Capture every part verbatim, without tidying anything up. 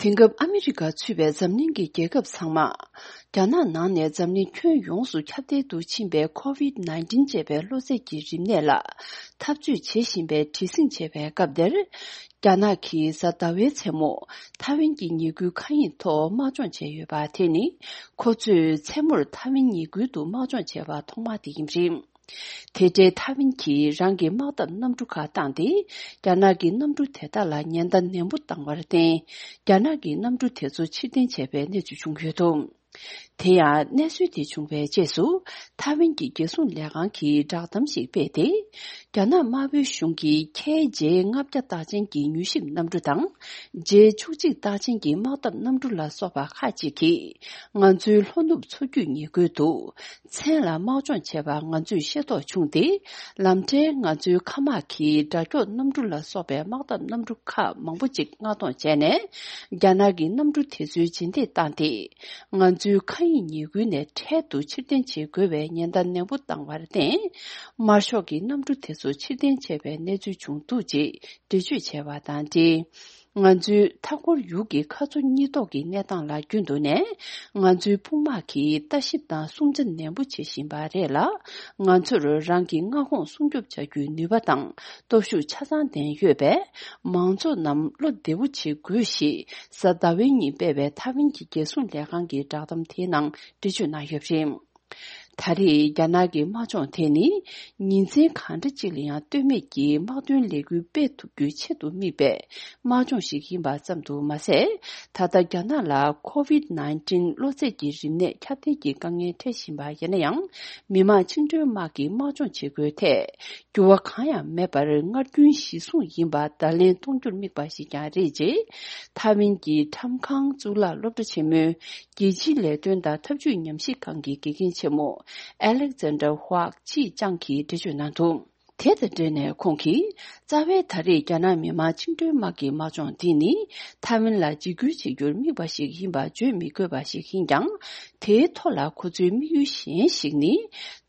དེང་སྐབས་ཨ་མི་རི་ཀ་ཚུད་པའི་འཛམ་གླིང་གི་རྒྱལ་ཁབ་ཚང་མ། རྒྱ་ནག་ནང་ནས་འཛམ་གླིང་ཁྱོན་ཡོངས་སུ་ཁྱབ་གདལ་དུ་ཕྱིན་པའི་ཁོ་ཝིད་ནའིན་ཊིན་ཅེས་པའི་གློ་ཚད་ཀྱི་རིམས་ནད་ལ་འཐབ་རྩོད་བྱེད་བཞིན་པའི་བྲེལ་ཟིང་ཆེ་བའི་སྐབས་འདིར། རྒྱ་ནག་གིས་གཟའ་ཟླ་བའི་མཚན་མོ་ཐའེ་ཝན་གྱི་ཉེས་སྐྱོན་མཁའ་དབྱིངས་ཐོག་དམག་སྦྱོང་བྱས་ཡོད་པ་དེ་ནི། ཁོ་ཚོས་མཚན་མོར་ཐའེ་ཝན་ཉེས་ཁུལ་དུ་དམག་སྦྱོང་བྱས་པ་ཐོག་མ་དེ་ཡིན་པ་རེད། དེ་འཕྲལ་ཐའེ་ཝན་གྱིས་རང་གི་དམག་འཐབ་གནམ་གྲུ་ཁག་བཏང་སྟེ། རྒྱ་ནག་གི་གནམ་གྲུ་དེ་དག་ལ་ཉེན་བརྡ་ནན་པོ་བཏང་བར་བརྟེན། རྒྱ་ནག་གི་གནམ་གྲུ་དེ་ཚོ་ཕྱིར་འཐེན་བྱས་པའི་གནས་ཚུལ་བྱུང་ཡོད་འདུག་དེ་ཡང་གནས་ཚུལ་དེ་བྱུང་བའི་རྗེས་སུ། ཐའེ་ཝན་གྱི་རྒྱལ་སྲུང་ལས་ཁང་གིས་བསྒྲགས་གཏམ་ཞིག་སྤེལ་ཏེ། རྒྱ་ནག་དམར་པོའི་གཞུང་གིས་ཁེ་ཇེ་ལྔ་བརྒྱ་རྟགས་ཅན་གྱི་མྱུལ་ཞིབ་གནམ་གྲུ་དང་། ཇེ་བཅུ་གཅིག་རྟགས་ཅན་གྱི་དམག་འཐབ་གནམ་གྲུ་ལ་སོགས་པ་ཁག་ཅིག་གིས། ང་ཚོའི་ལྷོ་ནུབ་མཚོ་རྒྱུད་ཉེ་ཁུལ་དུ། མཚན་ལ་དམག་སྦྱོང་བྱས་པ་ང་ཚོས་ཤེས་རྟོགས་བྱུང་སྟེ། ལམ་འཕྲལ་ང་ཚོའི་མཁའ་དམག་གིས་དགྲ་སྐྱོང་གནམ་གྲུ་ལ་སོགས་པའི་དམག་འཐབ་གནམ་གྲུ་ཁག་མང་པོ་ཅིག་མངགས་གཏོང་བྱས་ནས། རྒྱ་ནག་གི་གནམ་གྲུ་དེ་ཚོའི་རྗེས་འདེད་བཏང་སྟེ། ང་ཚོའི་མཁའ་དབྱིངས་ཉེ་ཁུལ་ནས་འཕྲལ་དུ་ཕྱིར་འཐེན་བྱེད་དགོས་པའི་ཉེན་བརྡ་ནན་པོ་བཏང་བར་བརྟེན། དམར་ཤོག་གི་གནམ་གྲུ་དེ་ཚོ་ཕྱིར་འཐེན་བྱས་པའི་གནས་ཚུལ་བྱུང་འདུག་ཅེས་འགྲེལ་བརྗོད་བྱས་པ་དང་འབྲེལ། ང་ཚོའི་མཐའ་འཁོར་ཡུལ་གྱི་མཁའ་མཚོ་གཉིས་ཐོག་གི་གནས་སྟངས་ལ་རྒྱུན་དུ་ནས། ང་ཚོའི་དཔུང་དམག་གིས་ལྟ་ཞིབ་དང་སྲུང་བརྩི་ནན་པོ་བྱེད་བཞིན་པ་རེད་ལ། ང་ཚོར་རང་གི་མངའ་ཁོངས་སྲུང་སྐྱོབ་བྱ་རྒྱུའི་ནུས་པ་དང་སྟོབས་ཤུགས་ཆ་ཚང་ལྡན་ཡོད་པས། མང་ཚོགས་རྣམས་བློ་བདེ་པོ་བྱེད་དགོས་ཞེས། གཟའ་ཟླ་བའི་ཉིན་སྤེལ་བའི་ཐའེ་ཝན་གྱི་རྒྱལ་སྲུང་ལས་ཁང་གི་བསྒྲགས་གཏམ་དེའི་ནང་འགྲེལ་བརྗོད་གནང་ཡོད་པ་རེད། ད་རེས་རྒྱ་ནག་གི་དམག་སྦྱོང་དེ་ནི། ཉིན་མཚན་གང་འདྲ་ཅིག་ལ་ཡང་ལྟོས་མེད་ཀྱིས་དམག་དོན་ལས་འགུལ་སྤེལ་ཐུབ་རྒྱུའི་ཆེད་དུ་དམིགས་པའི་དམག་སྦྱོང་ཞིག་ཡིན་པ་ཙམ་དུ་མ་ཟད། ད་ལྟ་རྒྱ་ནག་ལ་ཁོ་ཝིད་ནའིན་ཊིན་གློ་ཚད་ཀྱི་རིམས་ནད་ཁྱབ་གདལ་གྱི་དཀའ་ངལ་འཕྲད་བཞིན་པ་ཡིན་ན་ཡང་། མི་དམངས་བཅིངས་འགྲོལ་དམག་གི་དམག་སྦྱོང་བྱེད་སྒོའི་ཐད། འགྱུར་བ་གང་ཡང་མེད་པར་སྔར་རྒྱུན་གཞི་བཟུང་ཡིན་པ་བརྡ་ལན་གཏོང་རྒྱུར་དམིགས་པ་ཞིག་ཀྱང་རེད་ཅེས། ཐའེ་ཝན་གྱི་ཁྲམ་ཁང་གཙུག་ལག་སློབ་གྲྭ་ཆེན་མོའི་རྒྱལ་སྤྱིའི་ལས་དོན་དང་འཐབ་ཇུས་ཉམས་ཞིབ་ཁང་གི་དགེ་རྒན་ཆེན་མོ་ཨེ་ལེག་ཛན་ཌར་ཧྭག་ཅིས་ཅང་གིས་འགྲེལ་བརྗོད་གནང་འདུག་དེ་དང་འབྲེལ་ནས་ཁོང་གིས། རྩ་བའི་ད་རེས་རྒྱ་ནག་མི་དམངས་བཅིངས་འགྲོལ་དམག་གི་དམག་སྦྱོང་འདི་ནི། ཐའེ་ཝན་ལ་འཇིགས་སྐུལ་བྱེད་རྒྱུར་དམིགས་པ་ཞིག་ཡིན་པ་བརྗོད་མི་དགོས་པ་ཞིག་ཡིན་ཀྱང་། དེའི་ཐོག་ལ་ཁོ་ཚོའི་དམིགས་ཡུལ་གཞན་ཞིག་ནི།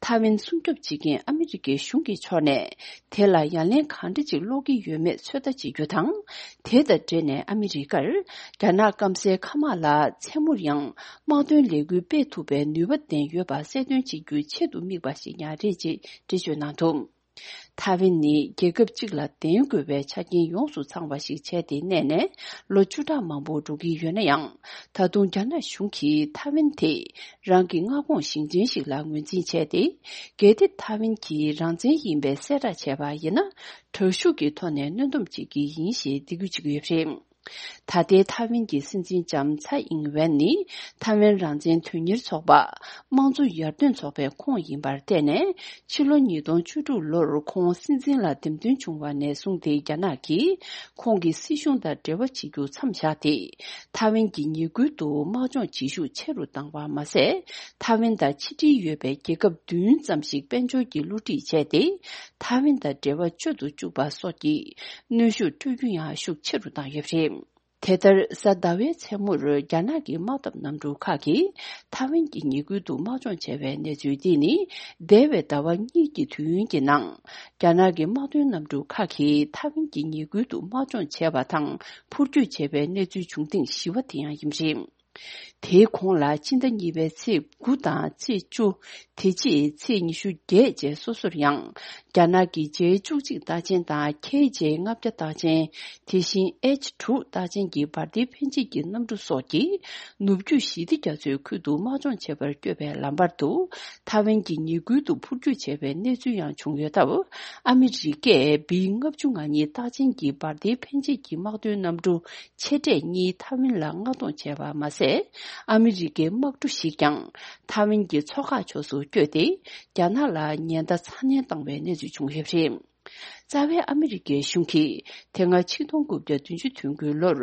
ཐའེ་ཝན་སྲུང་སྐྱོབ་བྱེད་མཁན་ཨ་མི་རི་ཀའི་གཞུང་གི་ཕྱོགས་ནས། དེ་ལ་ཡ་ལན་གང་འདྲ་ཅིག་སློག་གི་ཡོད་མེད་ཚོད་ལྟ་བྱེད་རྒྱུ་དང་། དེ་དང་འབྲེལ་ནས་ཨ་མི་རི་ཀར། རྒྱ་ནག་སྐམ་སའི་མཁའ་དམག་ལ་མཚན་མོར་ཡང་། དམག་དོན་ལས་འགུལ་སྤེལ་ཐུབ་པའི་ནུས་པ་ལྡན་ཡོད་པ་གསལ་སྟོན་བྱེད་རྒྱུའི་ཆེད་དུ་དམིགས་པ་ཞིག་ཀྱང་རེད་ཅེས་འགྲེལ་བརྗོད་གནང་འདུག་ཐའེ་ཝན་ནི་རྒྱལ་ཁབ་གཅིག་ལ་བརྟེན་དགོས་པའི་ཆ་རྐྱེན་ཡོངས་སུ་ཚང་བ་ཞིག་བྱས་ཏེ་གནས་ནས་ལོ་བཅུ་ཕྲག་མང་པོ་འགྲོ་གི་ཡོད་ན་ཡང་། ད་དུང་རྒྱ་ནག་གཞུང་གིས་ཐའེ་ཝན་དེ་རང་གི་མངའ་ཁོངས་ཞིང་ཆེན་ཞིག་ལ་ངོས་འཛིན་བྱས་ཏེ། གལ་ཏེ་ཐའེ་ཝན་གྱིས་རང་བཙན་ཡིན་པའི་གསལ་བསྒྲགས་བྱས་པ་ཡིན་ན། དྲག་ཤུགས་ཀྱི་ཐོག་ནས་གནོན་སྡོམ་བྱེད་ཀྱི་ཡིན་ཞེས་འདེད་སྐུལ་བྱེད་ཀྱི་ཡོད་པ་རེད། ད་ལྟའི་ཐའེ་ཝན་གྱི་སྲིད་འཛིན་ལྕམ་ཚའེ་ཨིང་ཝེན་ནི་ཐའེ་ཝན་རང་བཙན་དོན་གཉེར་ཚོགས་པ། དམངས་གཙོ་ཡར་ཐོན་ཚོགས་པའི་ཁོངས་ཡིན་པར་བརྟེན་ནས། ཕྱི་ལོ་ཉིས་སྟོང་བཅུ་དྲུག་ལོར་ཁོང་སྲིད་འཛིན་ལ་འདེམས་ཐོན་བྱུང་བ་ནས་བཟུང་སྟེ། རྒྱ་ནག་གིས་ཁོང་གི་སྲིད་གཞུང་དང་འབྲེལ་བ་བྱེད་རྒྱུ་མཚམས་བཞག་སྟེ། ཐའེ་ཝན་གྱི་ཉེ་ཁུལ་དུ་དམག་སྦྱོང་བྱེད་ཤུགས་ཆེ་རུ་བཏང་བ་མ་ཟད། ཐའེ་ཝན་དང་ཕྱི་འབྲེལ་ཡོད་པའི་རྒྱལ་ཁབ་བདུན་ཙམ་ཞིག་དཔལ་འབྱོར་གྱི་བསླུ་བྲིད་བྱས་ཏེ། ཐའེ་ཝན་དང་འབྲེལ་བ་གཅོད་དུ་བཅུག་པ་སོགས་ཀྱི་གནོན་ཤུགས་སྤྲོད་རྒྱུ་ཡང་ཤུགས་ཆེ་རུ་བཏང་ཡོད་པ་རེད། དེ་ལྟར་གཟའ་ཟླ་བའི་མཚན་མོར་རྒྱ་ནག་གི་དམག་འཐབ་གནམ་གྲུ་ཁག་གིས་ཐའེ་ཝན་གྱི་ཉེ་ཁུལ་དུ་དམག་སྦྱོང་བྱས་པའི་གནས་ཚུལ་འདི་ནི། འདས་པའི་ཟླ་བ་གཉིས་ཀྱི་དུས་ཡུན་གྱི་ནང་། རྒྱ་ནག་གི་དམག་དོན་གནམ་གྲུ་ཁག་གིས་ཐའེ་ཝན་གྱི་ཉེ་ཁུལ་དུ་དམག་སྦྱོང་བྱས་པ་དང་འཕུར་སྐྱོད་བྱས་པའི་གནས་ཚུལ་བྱུང་ཐེངས་བཞི་པ་དེ་ཡང་ཡིན་པ་རེད། དེའི་གོང་ལ་ཕྱི་ཟླ་གཉིས་པའི་ཚེས་དགུ་དང་ཚེས་བཅུ། དེ་རྗེས་ཚེས་ཉི་ཤུ་བརྒྱད་བཅས་སོ་སོར་ཡང་། རྒྱ་ནག་གི་ཇེ་བཅུ་གཅིག་རྟགས་ཅན་དང་ཁེ་ཇེ་ལྔ་བརྒྱ་རྟགས་ཅན། དེ་བཞིན་ཨེཆ་དྲུག་རྟགས་ཅན་གྱི་འབར་མདེལ་འཕེན་བྱེད་ཀྱི་གནམ་གྲུ་སོགས་ཀྱིས། ནུབ་རྒྱུད་ཞི་བདེ་རྒྱ་མཚོའི་ཁུལ་དུ་དམག་སྦྱོང་བྱེད་པར་བསྐྱོད་པའི་ལམ་བར་དུ། ཐའེ་ཝན་གྱི་ཉེ་ཁུལ་དུ་འཕུར་སྐྱོད་བྱས་པའི་གནས་ཚུལ་ཡང་བྱུང་ཡོད་སྟབས། ཨ་མི་རི་ཀས་བི་ལྔ་བཅུ་ང་གཉིས་རྟགས་ཅན་གྱི་འབར་མདེལ་འཕེན་བྱེད་ཀྱི་དམག་དོན་གནམ་གྲུ་ཆེ་གྲས་གཉིས་ཐའེ་ཝན་ལ་མངགས་གཏོང་བྱས་པ་མ་ཟད། ཨ་མི་རི་ཀའི་དམག་གྲུ་ཞིག་ཀྱང་ཐའེ་ཝན་གྱི་མཚོ་ཁ་ཕྱོགས་སུ་བསྐྱོད་དེ། རྒྱ་ནག་ལ་ཉེན་བརྡ་ཚ་ནན་བཏང་བའི་གནས་ཚུལ་བྱུང་ཡོད་པ་རེད། རྩ་བའི་ཨ་མི་རི་ཀའི་གཞུང་གིས་དེ་སྔ་ཆིག་སྟོང་དགུ་བརྒྱ་བདུན་ཅུ་དོན་དགུའི་ལོར་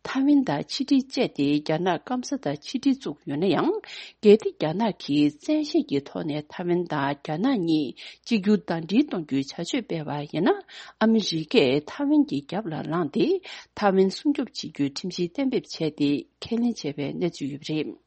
ཐའེ་ཝན་དང་ཕྱི་འབྲེལ་བཅད་དེ་རྒྱ་ནག་སྐམ་ས་དང་ཕྱི་འབྲེལ་བཙུགས་ཡོད་ན་ཡང་། གལ་ཏེ་རྒྱ་ནག་གིས་བཙན་ཤེད་ཀྱི་ཐོག་ནས་ཐའེ་ཝན་དང་རྒྱ་ནག་གཉིས་གཅིག་གྱུར་ཟླ་སྒྲིལ་གཏོང་རྒྱུའི་བྱ་སྤྱོད་སྤེལ་བ་ཡིན་ན། ཨ་མི་རི་ཀས་ཐའེ་ཝན་གྱི་རྒྱབ་ལ་ལངས་ཏེ། ཐའེ་ཝན་སྲུང་སྐྱོབ་བྱེད་རྒྱུའི་ཁྲིམས་གཞི་གཏན་འབེབས་བྱས་ཏེ། ཁས་ལེན་བྱས་པའི་གནས་ཚུལ་ཡོད་པ་རེད།